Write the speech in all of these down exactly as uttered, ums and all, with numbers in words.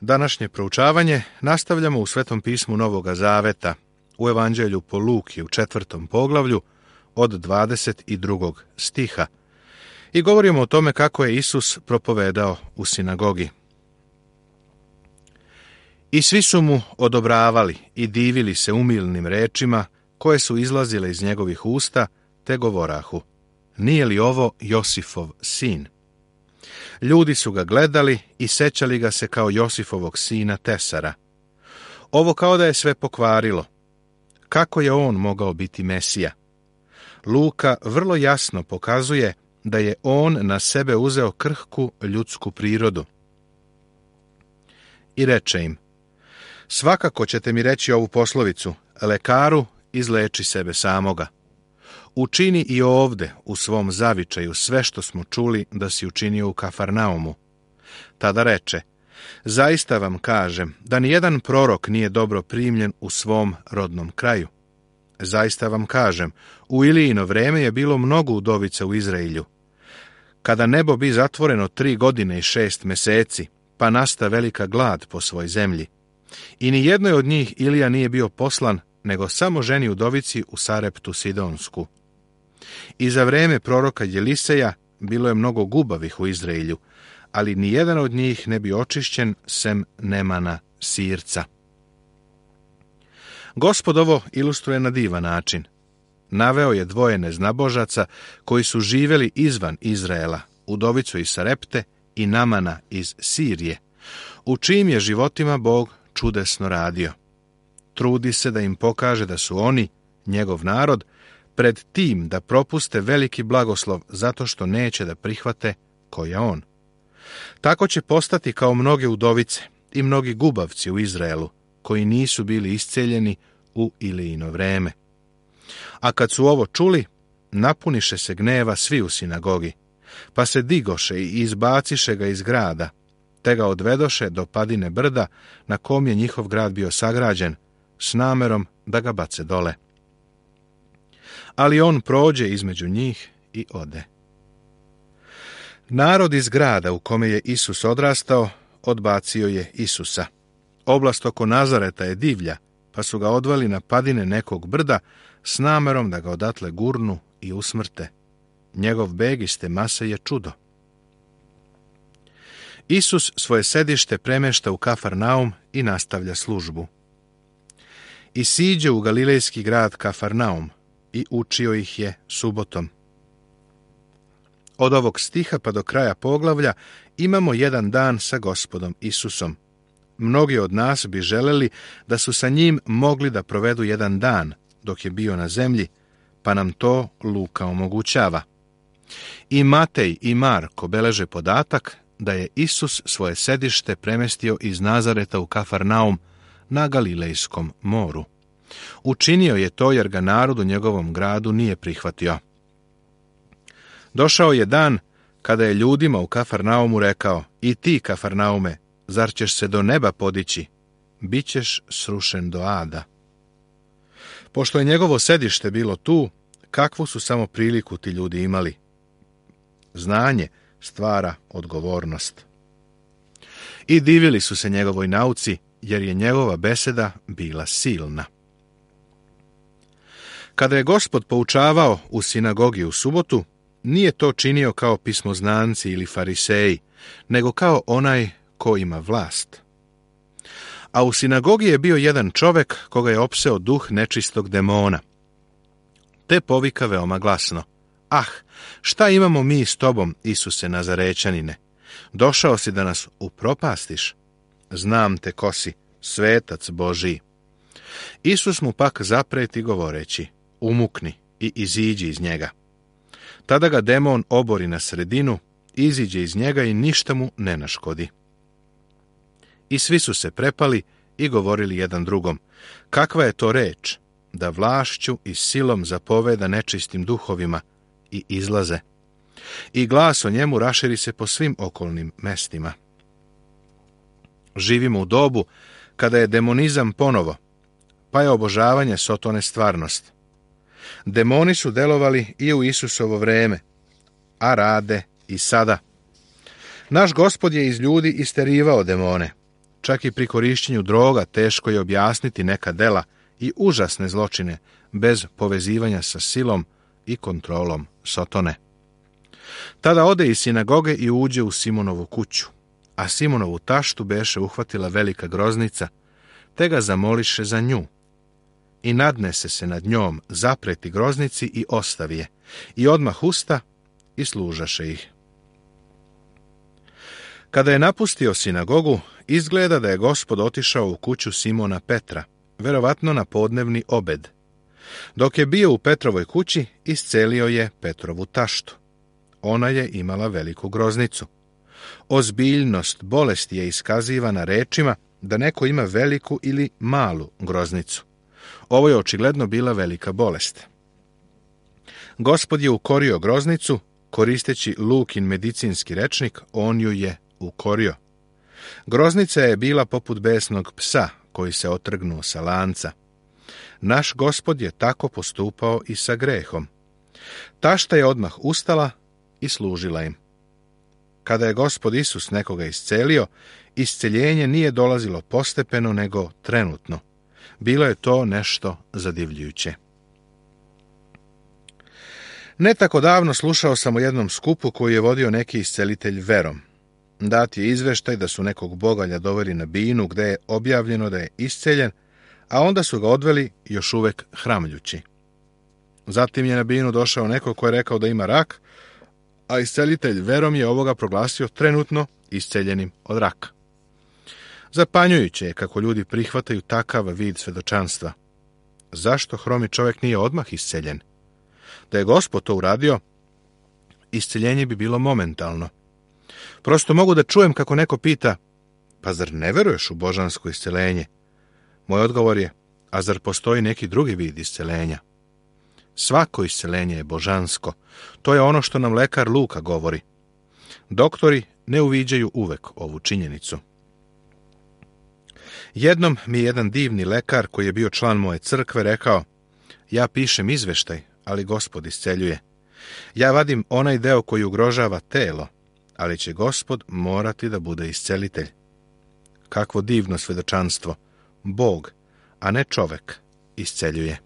Današnje proučavanje nastavljamo u Svetom pismu Novoga Zaveta, u Evanđelju po Luki u četvrtom poglavlju od dvadeset drugog stiha i govorimo o tome kako je Isus propovedao u sinagogi. I svi su mu odobravali i divili se umilnim rečima koje su izlazile iz njegovih usta, te govorahu: nije li ovo Josifov sin? Ljudi su ga gledali i sećali ga se kao Josifovog sina Tesara. Ovo kao da je sve pokvarilo. Kako je on mogao biti Mesija? Luka vrlo jasno pokazuje da je on na sebe uzeo krhku ljudsku prirodu. I reče im: svakako ćete mi reći ovu poslovicu: lekaru, izleči sebe samoga. Učini i ovde u svom zavičaju sve što smo čuli da si učinio u Kafarnaumu. Tada reče: zaista vam kažem da nijedan prorok nije dobro primljen u svom rodnom kraju. Zaista vam kažem, u Ilijino vreme je bilo mnogo udovica u Izraelju. Kada nebo bi zatvoreno tri godine i šest meseci, pa nasta velika glad po svoj zemlji. I ni jednoj od njih Ilija nije bio poslan, nego samo ženi udovici u Sareptu Sidonsku. I za vreme proroka Jeliseja bilo je mnogo gubavih u Izraelju, ali ni jedan od njih ne bi očišćen sem Nemana Sirca. Gospod ovo ilustruje na divan način. Naveo je dvoje neznabožaca koji su živjeli izvan Izraela, udovicu iz Sarepte i Namana iz Sirije, u čijim je životima Bog čudesno radio. Trudi se da im pokaže da su oni, njegov narod, pred tim da propuste veliki blagoslov zato što neće da prihvate ko je on. Tako će postati kao mnoge udovice i mnogi gubavci u Izraelu, koji nisu bili isceljeni u Ilijino vreme. A kad su ovo čuli, napuniše se gneva svi u sinagogi, pa se digoše i izbaciše ga iz grada, te ga odvedoše do padine brda na kom je njihov grad bio sagrađen, s namerom da ga bace dole. Ali on prođe između njih i ode. Narod iz grada u kome je Isus odrastao odbacio je Isusa. Oblast oko Nazareta je divlja, pa su ga odveli na padine nekog brda s namerom da ga odatle gurnu i usmrte. Njegov beg iz te mase je čudo. Isus svoje sedište premešta u Kafarnaum i nastavlja službu. I siđe u galilejski grad Kafarnaum i učio ih je subotom. Od ovog stiha pa do kraja poglavlja imamo jedan dan sa Gospodom Isusom. Mnogi od nas bi želeli da su sa njim mogli da provedu jedan dan dok je bio na zemlji, pa nam to Luka omogućava. I Matej i Marko beleže podatak da je Isus svoje sedište premestio iz Nazareta u Kafarnaum na Galilejskom moru. Učinio je to jer ga narod u njegovom gradu nije prihvatio. Došao je dan kada je ljudima u Kafarnaumu rekao: i ti, Kafarnaume, zar ćeš se do neba podići? Bićeš srušen do ada. Pošto je njegovo sedište bilo tu, kakvu su samo priliku ti ljudi imali? Znanje stvara odgovornost. I divili su se njegovoj nauci, jer je njegova beseda bila silna. Kada je Gospod poučavao u sinagogi u subotu, nije to činio kao pismoznanci ili fariseji, nego kao onaj ko ima vlast. A u sinagogi je bio jedan čovek koga je opseo duh nečistog demona. Te povika veoma glasno: ah, šta imamo mi s tobom, Isuse Nazarečanine? Došao si da nas upropastiš? Znam te ko si, svetac Božiji. Isus mu pak zapreti govoreći: umukni i iziđi iz njega. Tada ga demon obori na sredinu, iziđe iz njega i ništa mu ne naškodi. I svi su se prepali i govorili jedan drugom: kakva je to reč, da vlašću i silom zapoveda nečistim duhovima i izlaze. I glas o njemu raširi se po svim okolnim mestima. Živimo u dobu kada je demonizam ponovo, pa je obožavanje sotone stvarnost. Demoni su delovali i u Isusovo vreme, a rade i sada. Naš Gospod je iz ljudi isterivao demone, čak i pri korišćenju droga teško je objasniti neka dela i užasne zločine bez povezivanja sa silom i kontrolom Sotone. Tada ode iz sinagoge i uđe u Simonovu kuću, a Simonovu taštu beše uhvatila velika groznica, te ga zamoliše za nju. I nadnese se nad njom, zapreti groznici i ostavi je, i odmah usta i služaše ih. Kada je napustio sinagogu, izgleda da je Gospod otišao u kuću Simona Petra, verovatno na podnevni obed. Dok je bio u Petrovoj kući, iscelio je Petrovu taštu. Ona je imala veliku groznicu. Ozbiljnost bolesti je iskazivana rečima da neko ima veliku ili malu groznicu. Ovo je očigledno bila velika bolest. Gospod je ukorio groznicu, koristeći Lukin medicinski rečnik, on ju je ukorio. Groznica je bila poput besnog psa koji se otrgnuo sa lanca. Naš Gospod je tako postupao i sa grehom. Tašta je odmah ustala i služila im. Kada je Gospod Isus nekoga iscelio, isceljenje nije dolazilo postepeno, nego trenutno. Bilo je to nešto zadivljujuće. Ne tako davno slušao sam o jednom skupu koji je vodio neki iscelitelj verom. Dat je izveštaj da su nekog bogalja doveli na binu gde je objavljeno da je isceljen, a onda su ga odveli još uvek hramljući. Zatim je na binu došao neko ko je rekao da ima rak, a iscelitelj verom je ovoga proglasio trenutno isceljenim od raka. Zapanjujuće je kako ljudi prihvataju takav vid svedočanstva. Zašto hromi čovjek nije odmah isceljen? Da je Gospod to uradio, isceljenje bi bilo momentalno. Prosto mogu da čujem kako neko pita, pa zar ne veruješ u božansko isceljenje? Moj odgovor je, a zar postoji neki drugi vid isceljenja? Svako isceljenje je božansko. To je ono što nam lekar Luka govori. Doktori ne uviđaju uvek ovu činjenicu. Jednom mi je jedan divni lekar koji je bio član moje crkve rekao, ja pišem izveštaj, ali Gospod isceljuje. Ja vadim onaj deo koji ugrožava telo, ali će Gospod morati da bude iscelitelj. Kakvo divno svedočanstvo. Bog, a ne čovek, isceljuje.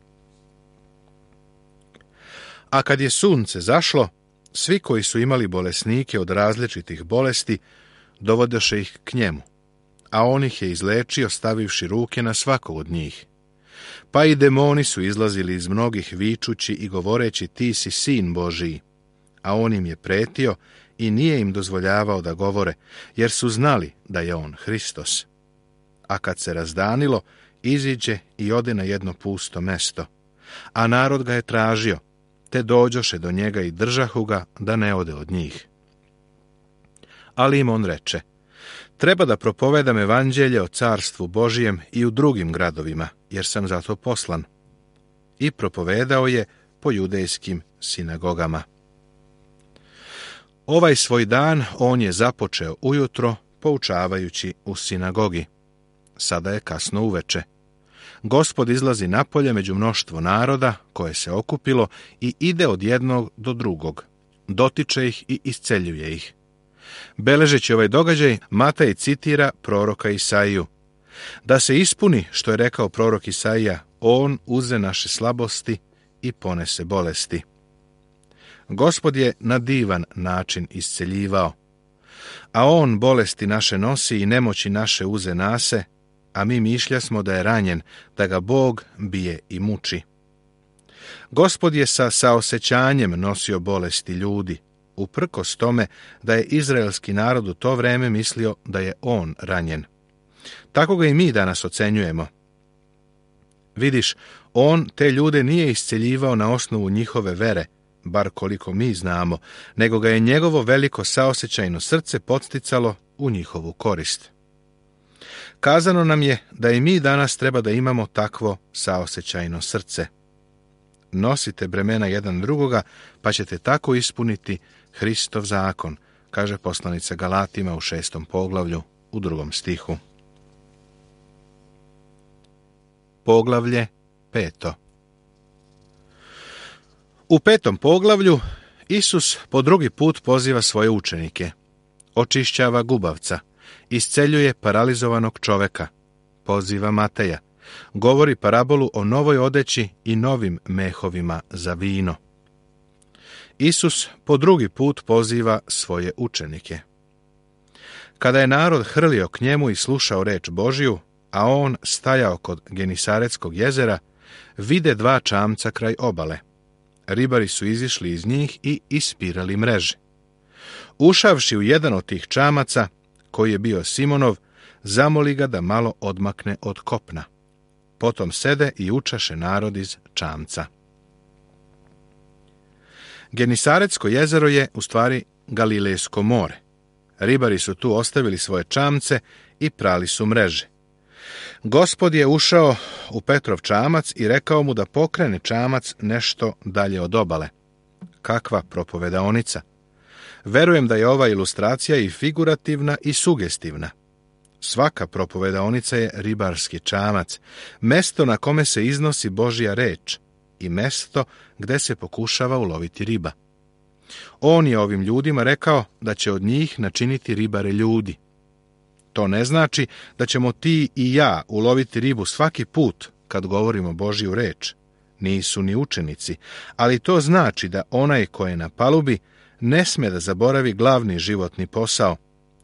A kad je sunce zašlo, svi koji su imali bolesnike od različitih bolesti, dovodeše ih k njemu, a on ih je izlečio stavivši ruke na svakog od njih. Pa i demoni su izlazili iz mnogih vičući i govoreći ti si sin Božiji, a on im je pretio i nije im dozvoljavao da govore, jer su znali da je on Hristos. A kad se razdanilo, iziđe i ode na jedno pusto mesto, a narod ga je tražio, te dođoše do njega i držahu ga da ne ode od njih. Ali im on reče, treba da propovedam evanđelje o carstvu Božijem i u drugim gradovima, jer sam zato poslan. I propovedao je po judejskim sinagogama. Ovaj svoj dan on je započeo ujutro, poučavajući u sinagogi. Sada je kasno uveče. Gospod izlazi napolje među mnoštvo naroda koje se okupilo i ide od jednog do drugog. Dotiče ih i isceljuje ih. Beležeći ovaj događaj, Matej citira proroka Isaiju. Da se ispuni što je rekao prorok Isaija, on uze naše slabosti i ponese bolesti. Gospod je na divan način isceljivao. A on bolesti naše nosi i nemoći naše uze nase, a mi mišlja smo da je ranjen, da ga Bog bije i muči. Gospod je sa saosećanjem nosio bolesti ljudi, uprkos tome da je izraelski narod u to vreme mislio da je on ranjen. Tako ga i mi danas ocenjujemo. Vidiš, on te ljude nije isceljivao na osnovu njihove vere, bar koliko mi znamo, nego ga je njegovo veliko saosećajno srce podsticalo u njihovu korist. Kazano nam je da i mi danas treba da imamo takvo saosećajno srce. Nosite bremena jedan drugoga, pa ćete tako ispuniti Hristov zakon, kaže poslanica Galatima u šestom poglavlju, u drugom stihu. Poglavlje peto. U petom poglavlju Isus po drugi put poziva svoje učenike. Očišćava gubavca isceljuje paralizovanog čoveka, poziva Mateja, govori parabolu o novoj odeći i novim mehovima za vino. Isus po drugi put poziva svoje učenike. Kada je narod hrlio k njemu i slušao reč Božju, a on stajao kod Genisaretskog jezera, vide dva čamca kraj obale. Ribari su izišli iz njih i ispirali mreže. Ušavši u jedan od tih čamaca, koji je bio Simonov, zamoli ga da malo odmakne od kopna. Potom sede i učaše narod iz čamca. Genisaretsko jezero je u stvari Galilejsko more. Ribari su tu ostavili svoje čamce i prali su mreže. Gospod je ušao u Petrov čamac i rekao mu da pokrene čamac nešto dalje od obale. Kakva propovedaonica! Verujem da je ova ilustracija i figurativna i sugestivna. Svaka propovedaonica je ribarski čamac, mesto na kome se iznosi Božja reč i mesto gde se pokušava uloviti riba. On je ovim ljudima rekao da će od njih načiniti ribare ljudi. To ne znači da ćemo ti i ja uloviti ribu svaki put kad govorimo Božju reč. Nisu ni učenici, ali to znači da onaj ko je na palubi ne sme da zaboravi glavni životni posao,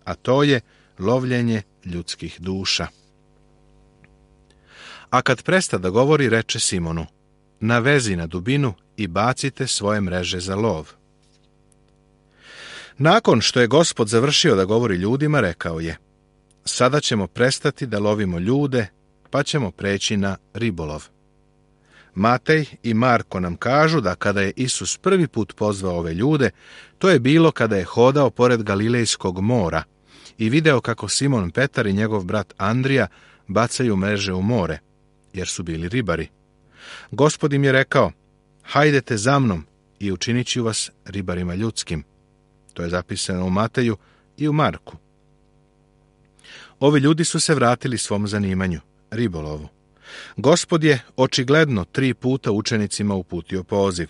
a to je lovljenje ljudskih duša. A kad presta da govori, reče Simonu, navezi na dubinu i bacite svoje mreže za lov. Nakon što je Gospod završio da govori ljudima, rekao je, sada ćemo prestati da lovimo ljude, pa ćemo preći na ribolov. Matej i Marko nam kažu da kada je Isus prvi put pozvao ove ljude, to je bilo kada je hodao pored Galilejskog mora i video kako Simon Petar i njegov brat Andrija bacaju mreže u more, jer su bili ribari. Gospod im je rekao, hajdete za mnom i učinit ću vas ribarima ljudskim. To je zapisano u Mateju i u Marku. Ovi ljudi su se vratili svom zanimanju, ribolovu. Gospod je očigledno tri puta učenicima uputio poziv.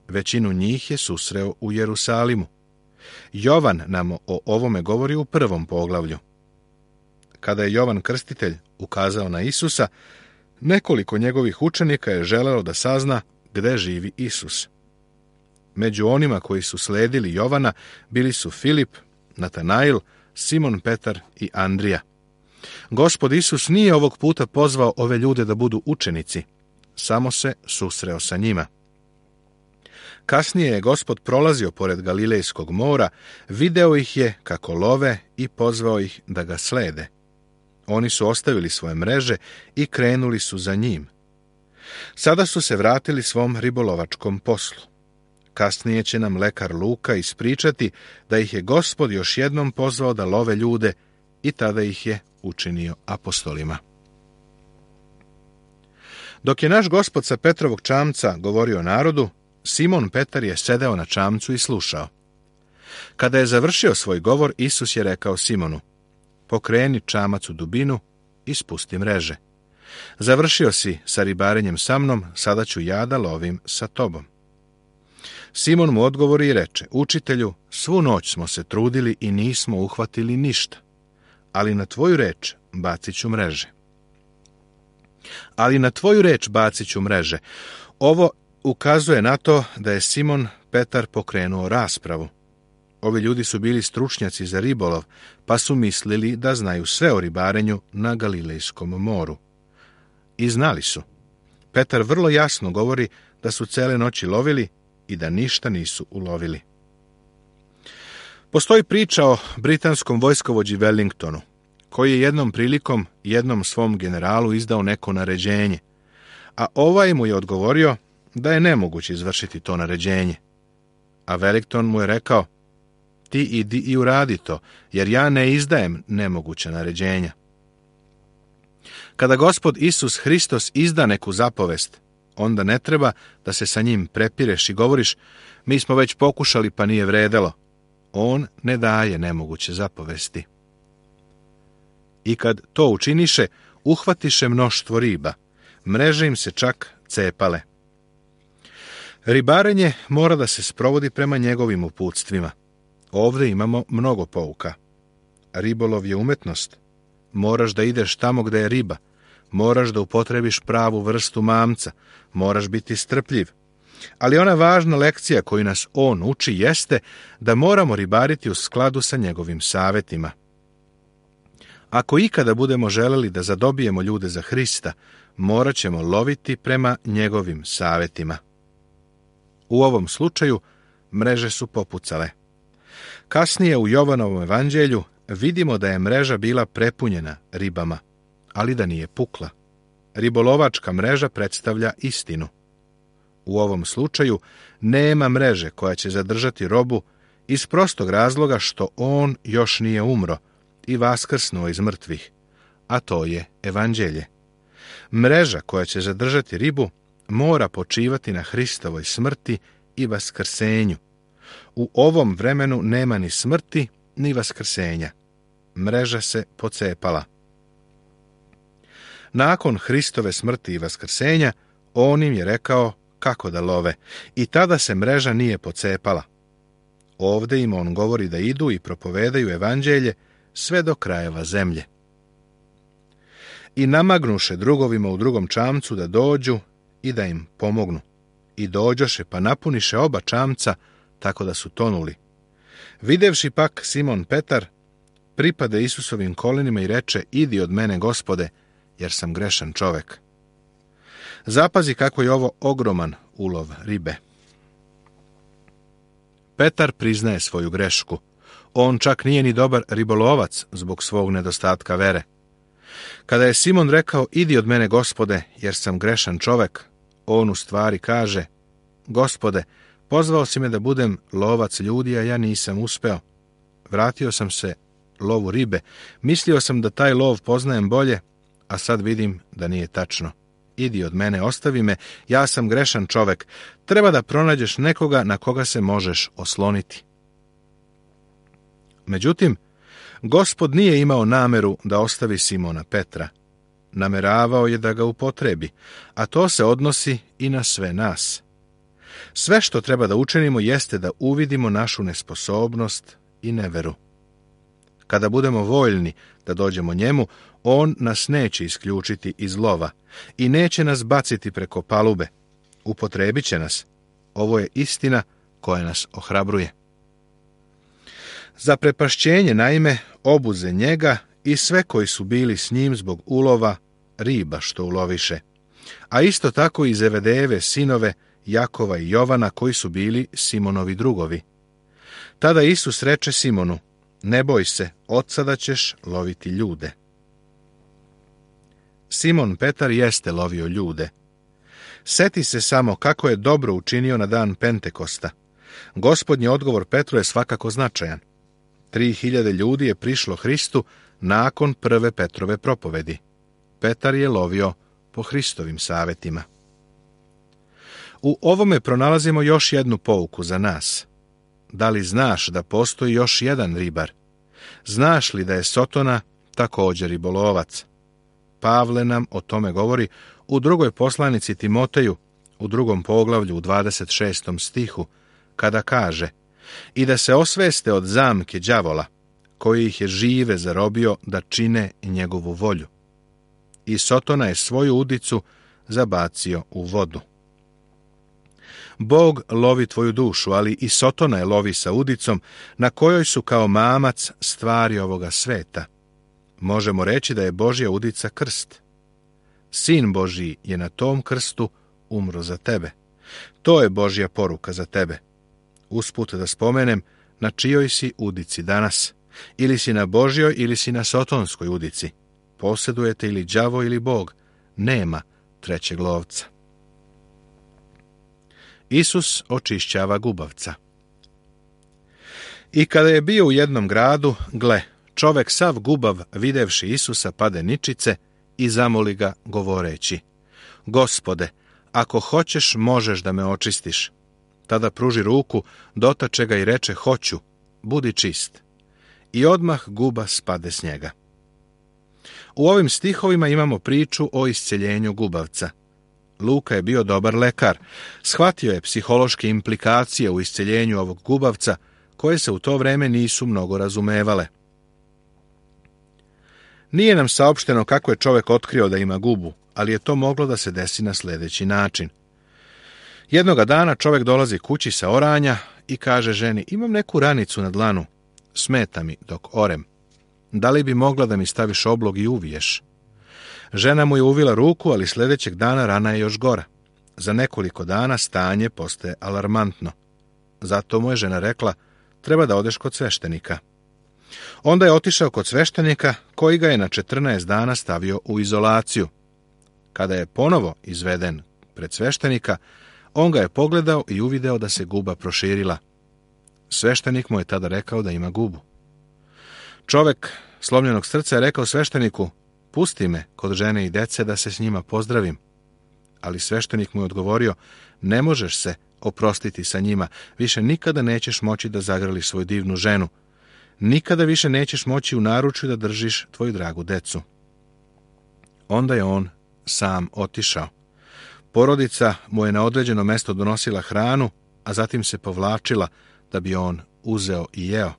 Većinu njih je susreo u Jerusalimu. Jovan nam o ovome govori u prvom poglavlju. Kada je Jovan Krstitelj ukazao na Isusa, nekoliko njegovih učenika je želelo da sazna gde živi Isus. Među onima koji su sledili Jovana bili su Filip, Natanail, Simon Petar i Andrija. Gospod Isus nije ovog puta pozvao ove ljude da budu učenici, samo se susreo sa njima. Kasnije je Gospod prolazio pored Galilejskog mora, video ih je kako love i pozvao ih da ga slede. Oni su ostavili svoje mreže i krenuli su za njim. Sada su se vratili svom ribolovačkom poslu. Kasnije će nam lekar Luka ispričati da ih je Gospod još jednom pozvao da love ljude i tada ih je učinio apostolima. Dok je naš Gospod sa Petrovog čamca govorio narodu, Simon Petar je sedeo na čamcu i slušao. Kada je završio svoj govor, Isus je rekao Simonu, pokreni čamac u dubinu i spusti mreže. Završio si sa ribarenjem sa mnom, sada ću ja da lovim sa tobom. Simon mu odgovori i reče, učitelju, svu noć smo se trudili i nismo uhvatili ništa, ali na tvoju reč bacit ću mreže. Ali na tvoju reč bacit ću mreže. Ovo ukazuje na to da je Simon Petar pokrenuo raspravu. Ovi ljudi su bili stručnjaci za ribolov, pa su mislili da znaju sve o ribarenju na Galilejskom moru. I znali su. Petar vrlo jasno govori da su cele noći lovili i da ništa nisu ulovili. Postoji priča o britanskom vojskovođi Wellingtonu, koji je jednom prilikom jednom svom generalu izdao neko naređenje, a ovaj mu je odgovorio da je nemoguće izvršiti to naređenje. A Wellington mu je rekao, ti idi i uradi to, jer ja ne izdajem nemoguća naređenja. Kada Gospod Isus Hristos izda neku zapovest, onda ne treba da se sa njim prepireš i govoriš, mi smo već pokušali pa nije vredelo. On ne daje nemoguće zapovesti. I kad to učiniše, uhvatiše mnoštvo riba, mreže im se čak cepale. Ribarenje mora da se sprovodi prema njegovim uputstvima. Ovdje imamo mnogo pouka. Ribolov je umetnost. Moraš da ideš tamo gde je riba. Moraš da upotrebiš pravu vrstu mamca. Moraš biti strpljiv. Ali ona važna lekcija koju nas on uči jeste da moramo ribariti u skladu sa njegovim savjetima. Ako ikada budemo želeli da zadobijemo ljude za Hrista, morat ćemo loviti prema njegovim savjetima. U ovom slučaju mreže su popucale. Kasnije u Jovanovom evanđelju vidimo da je mreža bila prepunjena ribama, ali da nije pukla. Ribolovačka mreža predstavlja istinu. U ovom slučaju nema mreže koja će zadržati robu iz prostog razloga što on još nije umro i vaskrsnuo iz mrtvih, a to je evanđelje. Mreža koja će zadržati ribu mora počivati na Hristovoj smrti i vaskrsenju. U ovom vremenu nema ni smrti, ni vaskrsenja. Mreža se pocepala. Nakon Hristove smrti i vaskrsenja, on im je rekao kako da love, i tada se mreža nije pocepala. Ovde im on govori da idu i propovedaju evanđelje sve do krajeva zemlje. I namagnuše drugovima u drugom čamcu da dođu i da im pomognu. I dođoše pa napuniše oba čamca, tako da su tonuli. Videvši pak Simon Petar, pripade Isusovim kolenima i reče: idi od mene, Gospode, jer sam grešan čovek. Zapazi kako je ovo ogroman ulov ribe. Petar priznaje svoju grešku. On čak nije ni dobar ribolovac zbog svog nedostatka vere. Kada je Simon rekao: idi od mene, Gospode, jer sam grešan čovek, on u stvari kaže: Gospode, pozvao si me da budem lovac ljudi, a ja nisam uspeo. Vratio sam se lovu ribe. Mislio sam da taj lov poznajem bolje, a sad vidim da nije tačno. Idi od mene, ostavi me, ja sam grešan čovek. Treba da pronađeš nekoga na koga se možeš osloniti. Međutim, Gospod nije imao nameru da ostavi Simona Petra. Nameravao je da ga upotrebi, a to se odnosi i na sve nas. Sve što treba da učinimo jeste da uvidimo našu nesposobnost i neveru. Kada budemo voljni da dođemo njemu, on nas neće isključiti iz lova i neće nas baciti preko palube. Upotrebit će nas. Ovo je istina koja nas ohrabruje. Za prepašćenje, naime, obuze njega i sve koji su bili s njim zbog ulova riba što uloviše, a isto tako i Zevedejeve sinove Jakova i Jovana koji su bili Simonovi drugovi. Tada Isus reče Simonu: ne boj se, od sada ćeš loviti ljude. Simon Petar jeste lovio ljude. Seti se samo kako je dobro učinio na dan Pentekosta. Gospodnji odgovor Petru je svakako značajan. Tri hiljade ljudi je prišlo Hristu nakon prve Petrove propovedi. Petar je lovio po Hristovim savjetima. U ovome pronalazimo još jednu pouku za nas. Da li znaš da postoji još jedan ribar? Znaš li da je Sotona također ribolovac? Pavle nam o tome govori u drugoj poslanici Timoteju, u drugom poglavlju, u dvadeset šestom stihu, kada kaže: i da se osveste od zamke đavola, koji ih je žive zarobio da čine njegovu volju. I Sotona je svoju udicu zabacio u vodu. Bog lovi tvoju dušu, ali i Sotona je lovi sa udicom, na kojoj su kao mamac stvari ovoga sveta. Možemo reći da je Božja udica krst. Sin Božji je na tom krstu umro za tebe. To je Božja poruka za tebe. Usput da spomenem, na čijoj si udici danas? Ili si na Božjoj ili si na sotonskoj udici. Posjedujete ili đavo ili Bog. Nema trećeg lovca. Isus očišćava gubavca. I kada je bio u jednom gradu, gle, čovek sav gubav, videvši Isusa, pade ničice i zamoli ga govoreći: Gospode, ako hoćeš, možeš da me očistiš. Tada pruži ruku, dotače ga i reče: hoću, budi čist. I odmah guba spade s njega. U ovim stihovima imamo priču o isceljenju gubavca. Luka je bio dobar lekar. Shvatio je psihološke implikacije u isceljenju ovog gubavca, koje se u to vreme nisu mnogo razumevale. Nije nam saopšteno kako je čovjek otkrio da ima gubu, ali je to moglo da se desi na sljedeći način. Jednoga dana čovjek dolazi kući sa oranja i kaže ženi: imam neku ranicu na dlanu, smeta mi dok orem. Da li bi mogla da mi staviš oblog i uviješ? Žena mu je uvila ruku, ali sljedećeg dana rana je još gora. Za nekoliko dana stanje postaje alarmantno. Zato mu je žena rekla: treba da odeš kod sveštenika. Onda je otišao kod sveštenika, koji ga je na četrnaest dana stavio u izolaciju. Kada je ponovo izveden pred sveštenika, on ga je pogledao i uvideo da se guba proširila. Sveštenik mu je tada rekao da ima gubu. Čovjek slomljenog srca je rekao svešteniku: pusti me kod žene i dece da se s njima pozdravim. Ali sveštenik mu je odgovorio: ne možeš se oprostiti sa njima, više nikada nećeš moći da zagrliš svoju divnu ženu. Nikada više nećeš moći u naručju da držiš tvoju dragu decu. Onda je on sam otišao. Porodica mu je na određeno mesto donosila hranu, a zatim se povlačila da bi on uzeo i jeo.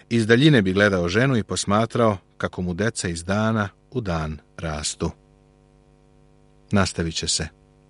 Iz daljine bi gledao ženu i posmatrao kako mu deca iz dana u dan rastu. Nastavit će se.